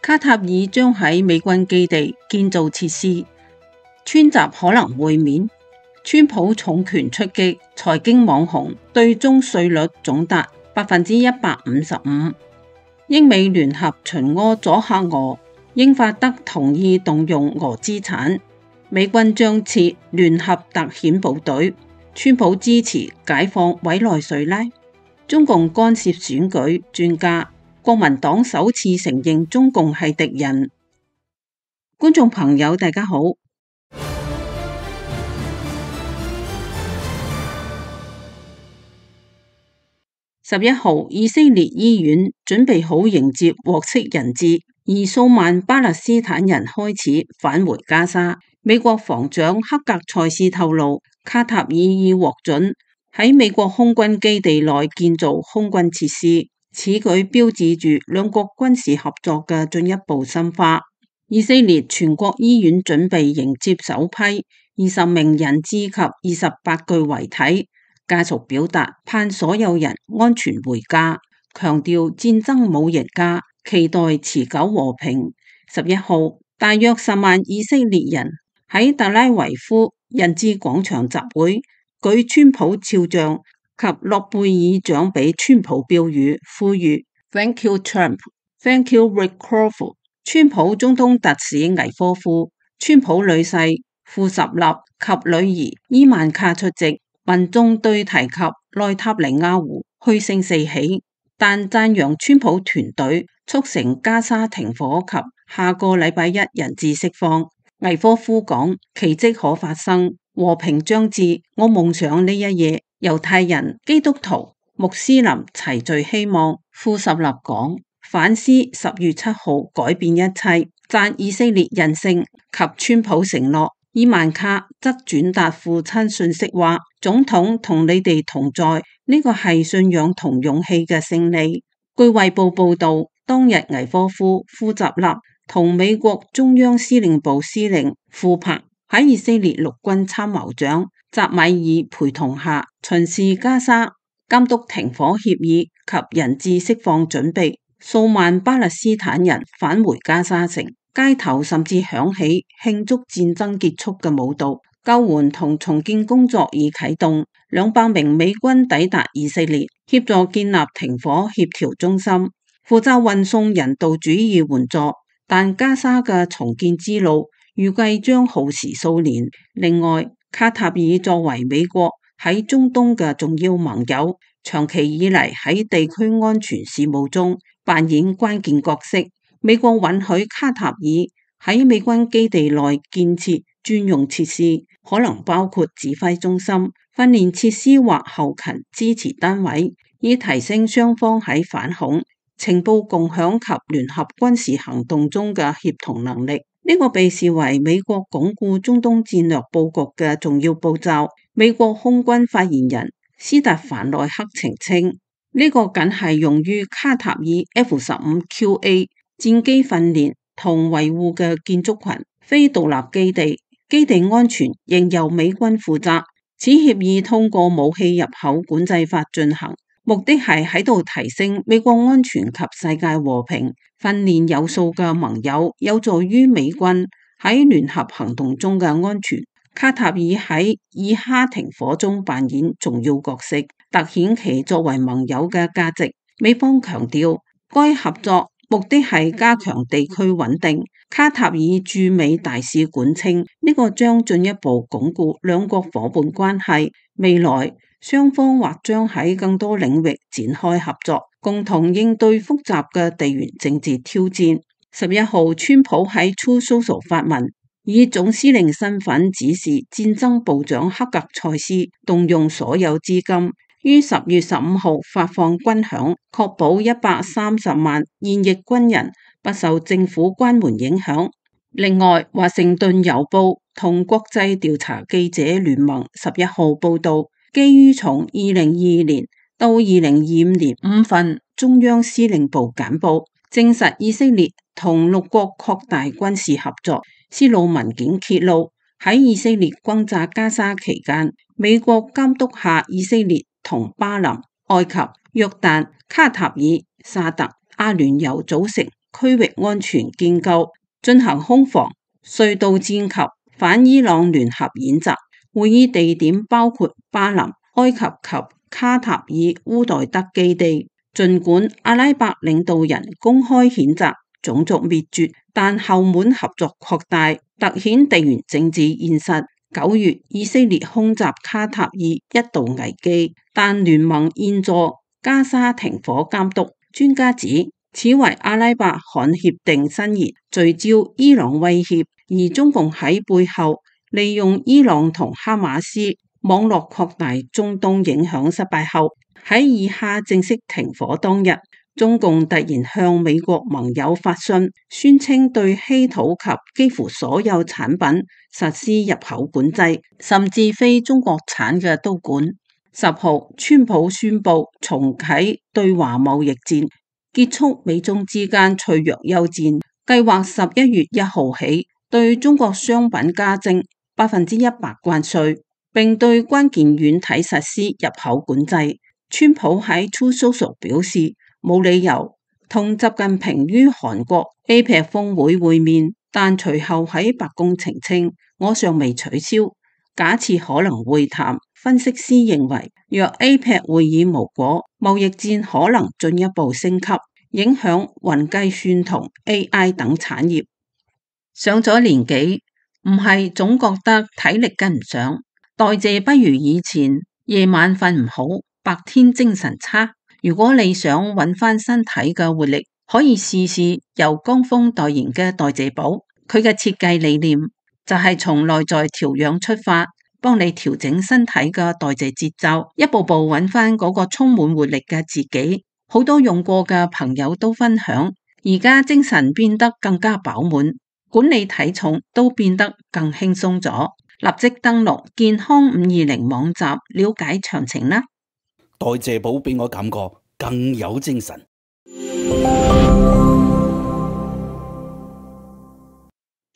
卡塔爾將喺美軍基地建造設施，川習可能會面。川普重拳出擊，財經網紅對中稅率總達155%。英美聯合巡弋阻嚇俄，英法德同意動用俄資產。美軍將設聯合特遣部隊。川普支持解放委內瑞拉。中共干涉選舉，專家。國民黨首次承認中共係敵人。觀眾朋友，大家好。11號，以色列醫院準備好迎接獲釋人質，而數萬巴勒斯坦人開始返回加沙。美國防長克格塞斯透露，卡塔爾已獲准喺美國空軍基地內建造空軍設施，此舉標誌住兩國軍事合作嘅進一步深化。以色列全國醫院準備迎接首批20名人質及28具遺體。家屬表達盼所有人安全回家，強調戰爭冇贏家，期待持久和平。11號，大約10萬以色列人喺特拉維夫人質廣場集會，舉川普肖像及諾貝爾獎俾川普標語，呼籲 Thank you Trump, Thank you Rick Crawford。川普總統特使危科夫、川普女婿庫什納及女兒伊曼卡出席。民眾對提及內塔尼亞胡噓聲四起，但讚揚川普團隊促成加沙停火及下個禮拜一人質釋放。危科夫講：奇蹟可發生，和平將至。我夢想呢一夜，猶太人、基督徒、穆斯林齊聚希望。庫什納講：反思10月7號改變一切，讚以色列人性及川普承諾。伊曼卡則轉達父親訊息話：總統同你哋同在，呢個係信仰同勇氣嘅勝利。據衛報報道，當日危科夫、庫什納同美國中央司令部司令庫柏喺以色列陸軍參謀長扎米爾陪同下巡視加沙，監督停火協議及人質釋放準備。數萬巴勒斯坦人返回加沙城。街頭甚至響起慶祝戰爭結束嘅舞蹈，救援同重建工作已啟動。200名美軍抵達以色列，協助建立停火協調中心，負責運送人道主義援助。但加沙嘅重建之路預計將耗時數年。另外，卡塔爾作為美國喺中東嘅重要盟友，長期以嚟喺地區安全事務中扮演關鍵角色。美國允許卡塔爾喺美軍基地內建設專用設施，可能包括指揮中心、訓練設施或後勤支持單位，以提升雙方喺反恐、情報共享及聯合軍事行動中嘅協同能力。呢個被視為美國鞏固中東戰略佈局嘅重要步驟。美國空軍發言人斯特凡內克澄清，呢個僅係用於卡塔爾 F-15QA戰機訓練同維護嘅建築群，非獨立基地，基地安全仍由美軍負責。此協議通過武器入口管制法進行，目的係喺度提升美國安全及世界和平。訓練有數嘅盟友，有助於美軍喺聯合行動中嘅安全。卡塔爾喺以哈停火中扮演重要角色，凸顯其作為盟友嘅價值。美方強調，該合作目的係加強地區穩定。卡塔爾駐美大使館稱，呢個將進一步鞏固兩國伙伴關係。未來雙方或將喺更多領域展開合作，共同應對複雜嘅地緣政治挑戰。11號，川普喺 Truth Social 發文，以總司令身份指示戰爭部長克格塞斯動用所有資金，於10月15號發放軍餉，確保130萬現役軍人不受政府關門影響。另外，華盛頓郵報同國際調查記者聯盟11號報道，基於從2022年到2025年5份中央司令部簡報，證實以色列同6國擴大軍事合作。泄露文件揭露，喺以色列轟炸加沙期間，美國監督下以色列同巴林、埃及、約旦、卡塔爾、沙特、阿聯酋組成區域安全建構進行空防、隧道戰及反伊朗聯合演習。會議地點包括巴林、埃及及卡塔爾烏代德基地。儘管阿拉伯領導人公開譴責種族滅絕，但後門合作擴大，凸顯地緣政治現實。9月，以色列空襲卡塔爾一度危機，但聯盟現助加沙停火監督。專家指，此為阿拉伯罕協定伸延，聚焦伊朗威脅，而中共喺背後利用伊朗同哈馬斯網絡擴大中東影響失敗後，喺以哈正式停火當日，中共突然向美國盟友發信，宣稱對稀土及幾乎所有產品實施入口管制，甚至非中國產嘅都管。10號，川普宣布重啟對華貿易戰，結束美中之間脆弱休戰，計劃11月1號起對中國商品加徵100%關稅，並對關鍵軟體實施入口管制。川普喺 Truth Social 表示，冇理由同習近平於韓國 APEC 峰會會面，但隨後喺白宮澄清，我尚未取消，假設可能會談。分析師認為，若 APEC 會議無果，貿易戰可能進一步升級，影響雲計算同 AI 等產業。上咗年紀，唔係總覺得體力跟唔上，代謝不如以前，夜晚瞓唔好，白天精神差。如果你想揾翻身體嘅活力，可以試試由江峰代言嘅代謝寶。佢嘅設計理念就係從內在調養出發，幫你調整身體嘅代謝節奏，一步步揾翻嗰個充滿活力嘅自己。好多用過嘅朋友都分享，而家精神變得更加飽滿，管理體重都變得更輕鬆咗。立即登錄健康520網站了解詳情啦。代謝寶俾我感覺更有精神。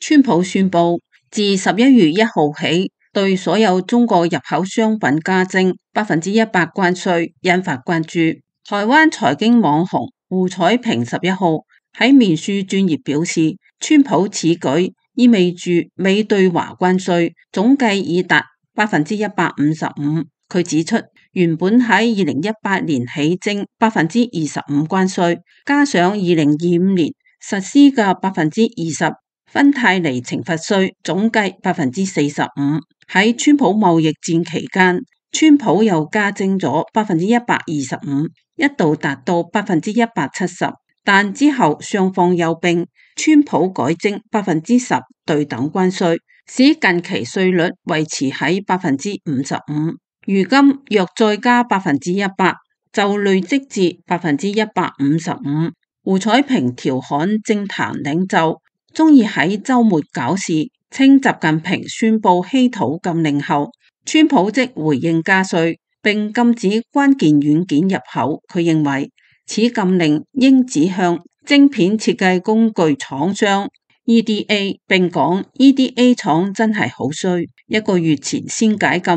川普宣布自11月1號起，對所有中國入口商品加徵100%關稅，引發關注。台灣財經網紅胡彩萍11號喺面書專頁表示，川普此舉意味住美對華關稅總計已達155%。佢指出，原本喺2018年起徵25%關稅，加上2025年實施嘅20%芬太尼懲罰稅，總計45%。喺川普貿易戰期間，川普又加徵咗125%，一度達到170%，但之後雙方休兵，川普改徵10%對等關稅，使近期稅率維持喺55%。如今若再加100%，就累積至155%。胡彩萍調侃政壇領袖中意喺週末搞事，稱習近平宣布稀土禁令後，川普即回應加稅並禁止關鍵軟件入口。佢認為此禁令應指向晶片設計工具廠商 EDA， 並講 EDA 廠真係好衰，1個月前先解禁，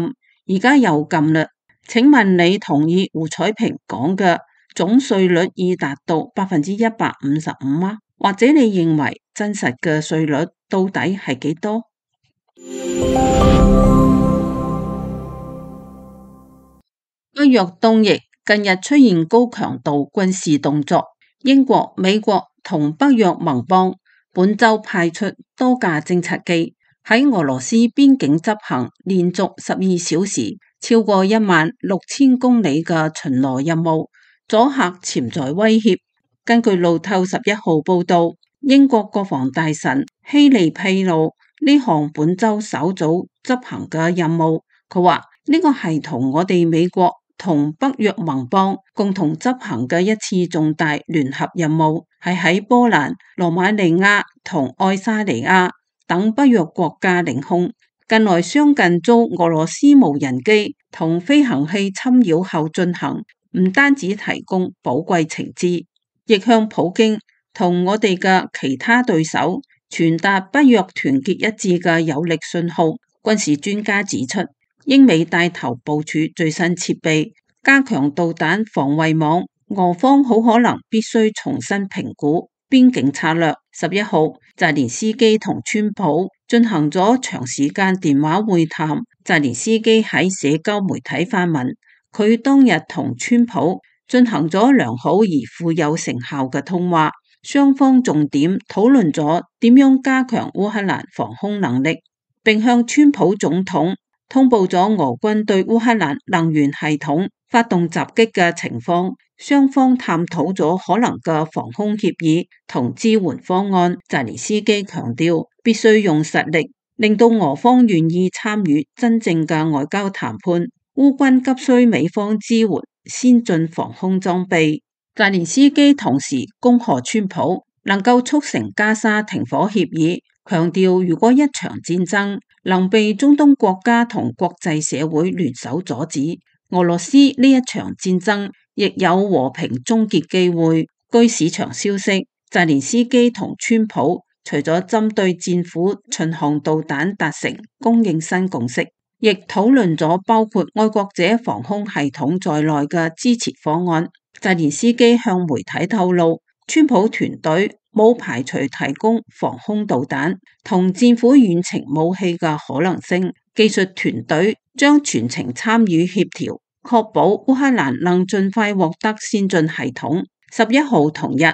而家又禁啦。請問你同意胡彩萍講嘅總稅率已達到155%嗎？或者你認為真實嘅稅率到底係幾多？北約東翼近日出現高強度軍事動作，英國、美國同北約盟邦本週派出多架偵察機喺俄羅斯邊境執行連續12小時超過16000公里嘅巡邏任務，阻嚇潛在威脅。根據路透11號報道，英國國防大臣希利披露呢項本週首組執行嘅任務。佢話呢個係同我哋美國同北約盟邦共同執行嘅一次重大聯合任務，係喺波蘭、羅馬尼亞同愛沙尼亞等北約國家領空。近來相繼遭俄羅斯無人機同飛行器侵擾後進行，唔單止提供寶貴情資，亦向普京同我哋嘅其他對手傳達北約團結一致嘅有力信號。軍事專家指出，英美帶頭部署最新設備，加強導彈防衛網，俄方好可能必須重新評估邊境策略。11號，澤連斯基同川普進行咗長時間電話會談。澤連斯基喺社交媒體發文，佢當日同川普進行咗良好而富有成效嘅通話，雙方重點討論咗點樣加強烏克蘭防空能力，並向川普總統通報咗俄軍對烏克蘭能源系統發動襲擊嘅情況。雙方探討咗可能嘅防空協議同支援方案。澤連斯基強調，必須用實力令到俄方願意參與真正嘅外交談判。烏軍急需美方支援先進防空裝備。澤連斯基同時恭賀川普能夠促成加沙停火協議，強調如果一場戰爭能被中東國家同國際社會聯手阻止，俄羅斯呢一場戰爭亦有和平終結機會。據市場消息，澤連斯基同川普除咗針對戰斧巡航導彈達成供應新共識，亦討論咗包括愛國者防空系統在內嘅支持方案。澤連斯基向媒體透露，川普團隊冇排除提供防空導彈同戰斧遠程武器嘅可能性，技術團隊將全程參與協調，確保烏克蘭能盡快獲得先進系統。11號同日，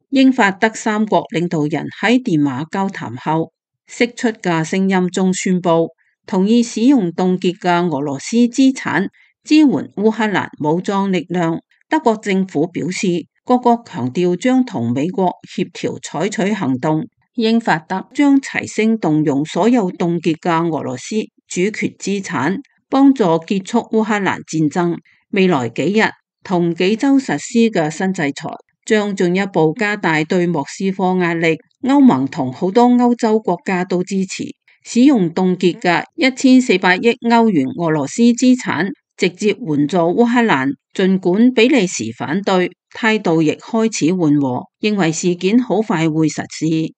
英法德三國領導人喺電話交談後釋出嘅聲音中宣布，同意使用凍結嘅俄羅斯資產支援烏克蘭武裝力量。德國政府表示，各國強調將同美國協調採取行動，英法德將齊聲動用所有凍結嘅俄羅斯主權資產，幫助結束烏克蘭戰爭。未來幾日同幾週實施嘅新制裁將進一步加大對莫斯科壓力。歐盟同好多歐洲國家都支持使用凍結嘅1400億歐元俄羅斯資產，直接援助烏克蘭。儘管比利時反對，態度亦開始緩和，認為事件好快會實施。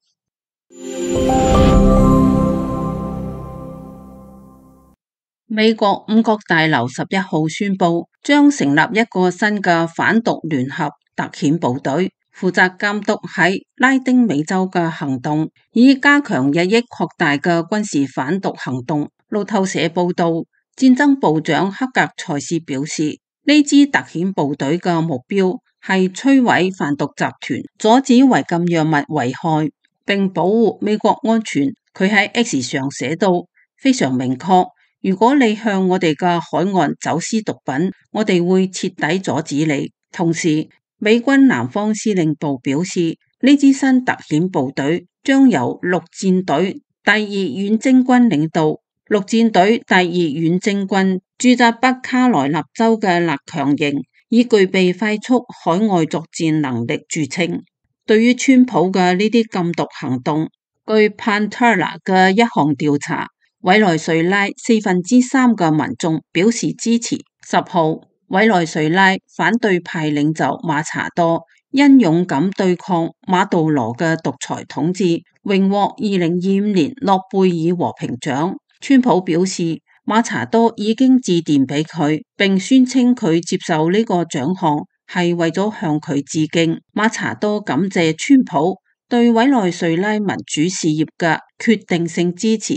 美國五角大樓11號宣布，將成立一個新嘅反毒聯合特遣部隊，負責監督喺拉丁美洲嘅行動，以加強日益擴大嘅軍事反毒行動。路透社報道，戰爭部長克格塞斯表示，呢支特遣部隊嘅目標係摧毀販毒集團，阻止違禁藥物危害，並保護美國安全。佢喺 X 上寫道，非常明確，如果你向我哋嘅海岸走私毒品，我哋會徹底阻止你。同時，美軍南方司令部表示，呢支新特遣部隊將由陸戰隊第2遠征軍領導。陸戰隊第2遠征軍駐紮北卡羅納州嘅勒強營，以具備快速海外作戰能力著稱。對於川普嘅呢啲禁毒行動，據 Pantera 嘅一項調查，委內瑞拉3%嘅民眾表示支持。10號，委內瑞拉反對派領袖馬查多因勇敢對抗馬杜羅嘅獨裁統治，榮獲2025年諾貝爾和平獎。川普表示，馬查多已經致電俾佢，並宣稱佢接受呢個獎項係為咗向佢致敬。馬查多感謝川普對委內瑞拉民主事業嘅決定性支持。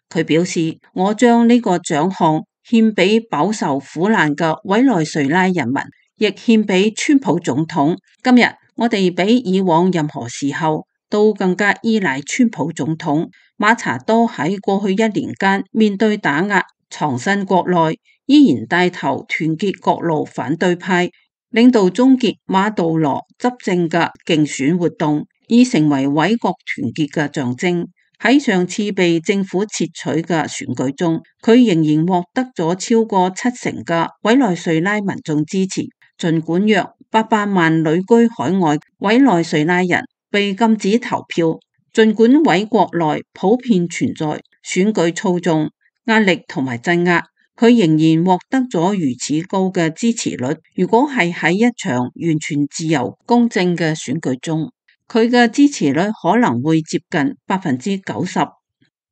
佢表示，我將呢個獎項獻俾飽受苦難嘅委內瑞拉人民，亦獻俾川普總統。今日我哋比以往任何時候都更加依賴川普總統。馬查多喺過去1年間面對打壓，藏身國內，依然帶頭團結各路反對派，領導終結馬杜羅執政嘅競選活動，已成為委國團結嘅象徵。喺上次被政府撤取嘅選舉中，佢仍然獲得咗超過70%嘅委內瑞拉民眾支持。儘管約800萬旅居海外委內瑞拉人被禁止投票，儘管委國內普遍存在選舉操縱、壓力同埋鎮壓，佢仍然獲得咗如此高嘅支持率。如果係喺一場完全自由公正嘅選舉中，佢嘅支持率可能會接近90%。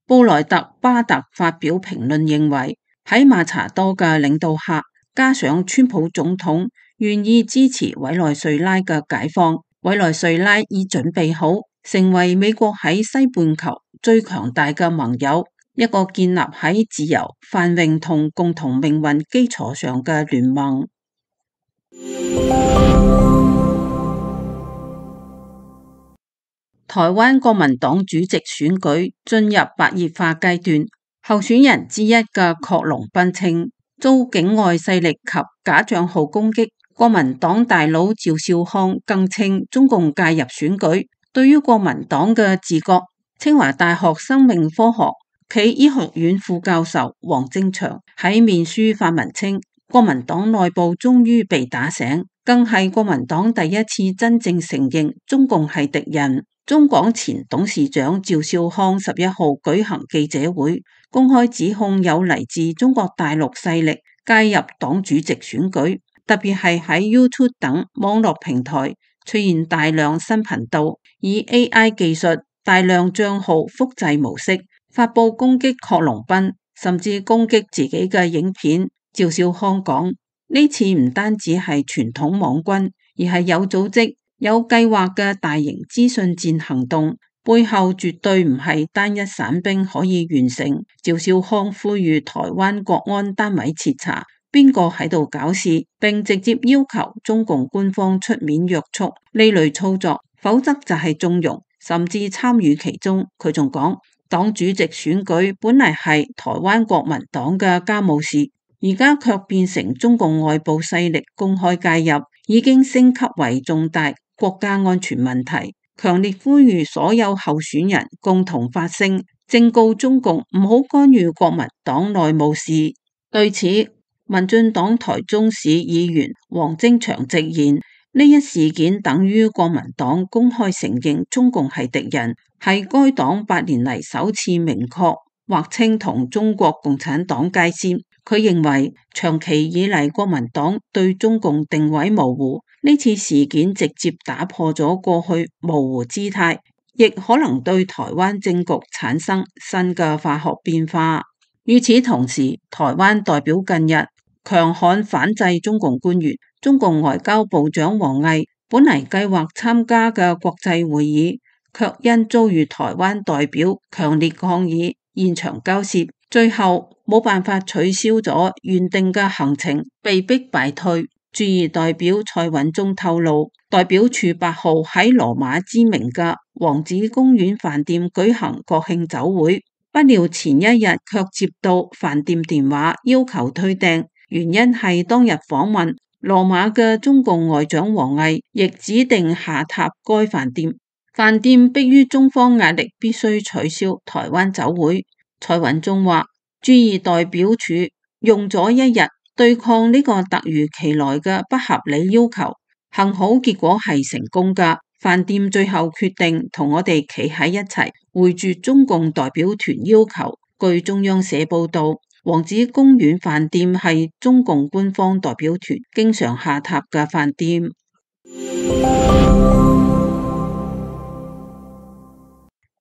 布萊特巴特發表評論認為，喺馬查多嘅領導下，加上川普總統願意支持委內瑞拉嘅解放，委內瑞拉已準備好成為美國喺西半球最強大嘅盟友，一個建立喺自由、繁榮同共同命運基礎上嘅聯盟。台灣國民黨主席選舉進入白熱化階段，候選人之一嘅郝龍斌稱遭境外勢力及假賬號攻擊。國民黨大佬趙少康更稱中共介入選舉。對於國民黨嘅自覺，清華大學生命科學暨醫學院副教授黃正祥喺面書發文稱，國民黨內部終於被打醒，更係國民黨第一次真正承認中共係敵人。中廣前董事長趙少康11號舉行記者會，公開指控有嚟自中國大陸勢力介入黨主席選舉，特別係喺 YouTube 等網絡平台出現大量新頻道，以 AI 技術大量賬號複製模式發布攻擊郝龍斌，甚至攻擊自己嘅影片。趙少康講，呢次唔單止係傳統網軍，而係有組織有計劃嘅大型資訊戰行動，背後絕對唔係單一散兵可以完成。趙少康呼籲台灣國安單位徹查邊個喺度搞事，並直接要求中共官方出面約束呢類操作，否則就係縱容甚至參與其中。佢仲講，黨主席選舉本嚟係台灣國民黨嘅家務事，而家卻變成中共外部勢力公開介入，已經升級為重大國家安全問題，強烈呼籲所有候選人共同發聲，正告中共唔好干預國民黨內務事。對此，民進黨台中市議員黃正祥直言，呢一事件等於國民黨公開承認中共係敵人，係該黨8年嚟首次明確劃清同中國共產黨界線。佢認為長期以嚟國民黨對中共定位模糊，呢次事件直接打破咗過去模糊姿態，亦可能對台灣政局產生新嘅化學變化。與此同時，台灣代表近日強悍反制中共官員，中共外交部長王毅本嚟計劃參加嘅國際會議，卻因遭遇台灣代表強烈抗議，現場交涉，最後冇辦法取消咗原定嘅行程，被迫敗退。駐意代表蔡允忠透露，代表處8號喺羅馬知名嘅王子公園飯店舉行國慶酒會，不料前一日卻接到飯店電話要求退訂，原因係當日訪問羅馬嘅中共外長王毅亦指定下榻該飯店，飯店迫於中方壓力必須取消台灣酒會。蔡允忠話，駐意代表處用咗一日對抗呢個突如其來嘅不合理要求，幸好結果係成功㗎。飯店最後決定同我哋企喺一齊，回絕中共代表團要求。據中央社報道，王子公園飯店係中共官方代表團經常下榻嘅飯店。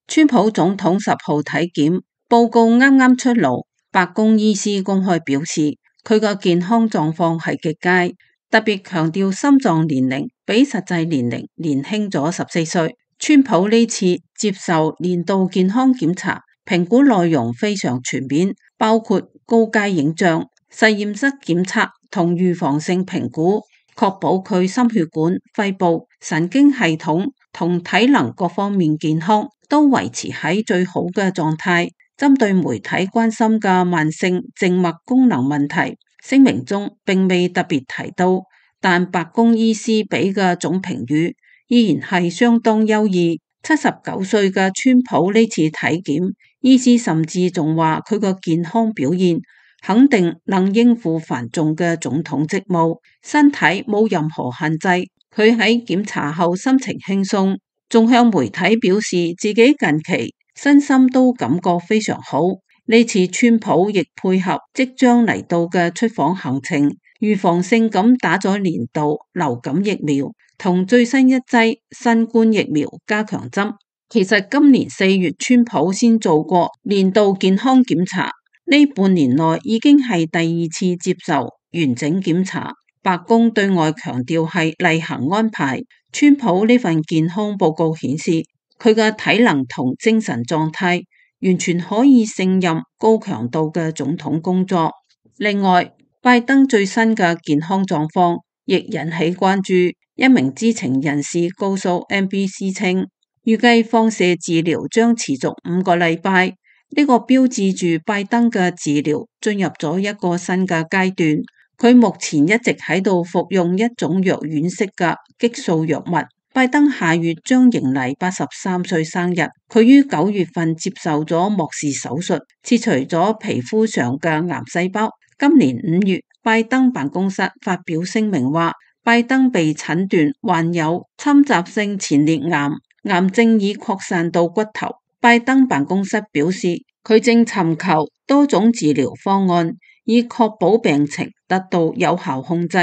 川普總統10號體檢報告啱啱出爐，白宮醫師公開表示，佢個健康狀況係極佳，特別強調心臟年齡比實際年齡年輕咗14歲。川普呢次接受年度健康檢查，評估內容非常全面，包括高階影像、實驗室檢測同預防性評估，確保佢心血管、肺部、神經系統同體能各方面健康都維持喺最好嘅狀態。針對媒體關心嘅慢性靜脈功能問題，聲明中並未特別提到，但白宮醫師俾嘅總評語依然係相當優異。79歲嘅川普呢次體檢，醫師甚至仲話佢個健康表現肯定能應付繁重嘅總統職務，身體冇任何限制。佢喺檢查後心情輕鬆，仲向媒體表示自己近期身心都感覺非常好。呢次川普亦配合即將嚟到嘅出訪行程，預防性咁打咗年度流感疫苗同最新一劑新冠疫苗加強針。其實今年4月川普先做過年度健康檢查，呢半年內已經係第2次接受完整檢查。白宮對外強調係例行安排，川普呢份健康報告顯示，佢嘅體能同精神狀態完全可以勝任高強度嘅總統工作。另外，拜登最新嘅健康狀況亦引起關注。一名知情人士告訴 NBC 稱，預計放射治療將持續5個禮拜，呢個標誌住拜登嘅治療進入咗一個新嘅階段。佢目前一直喺度服用一種藥丸式嘅激素藥物。拜登下月將迎嚟83歲生日。佢於9月份接受咗莫氏手術，切除咗皮膚上嘅癌細胞。今年5月，拜登辦公室發表聲明話，拜登被診斷患有侵襲性前列癌，癌症已擴散到骨頭。拜登辦公室表示，佢正尋求多種治療方案，以確保病情得到有效控制。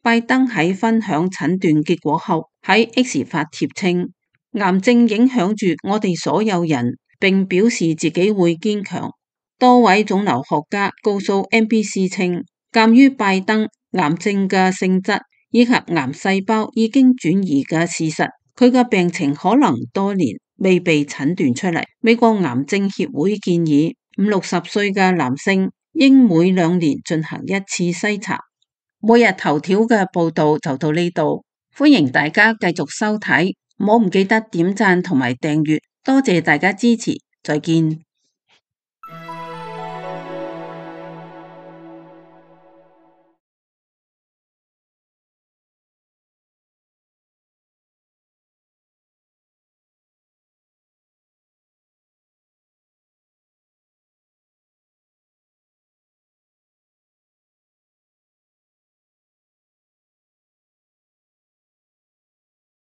拜登喺分享診斷結果後，喺 X 發帖稱，癌症影響住我哋所有人，並表示自己會堅強。多位腫瘤學家告訴 NBC 稱，鑒於拜登癌症嘅性質以及癌細胞已經轉移嘅事實，佢嘅病情可能多年未被診斷出嚟。美國癌症協會建議50-60歲嘅男性應每2年進行一次篩查。每日頭條嘅報道就到呢度，歡迎大家繼續收睇，唔好唔記得點讚同埋訂閱，多謝大家支持，再見。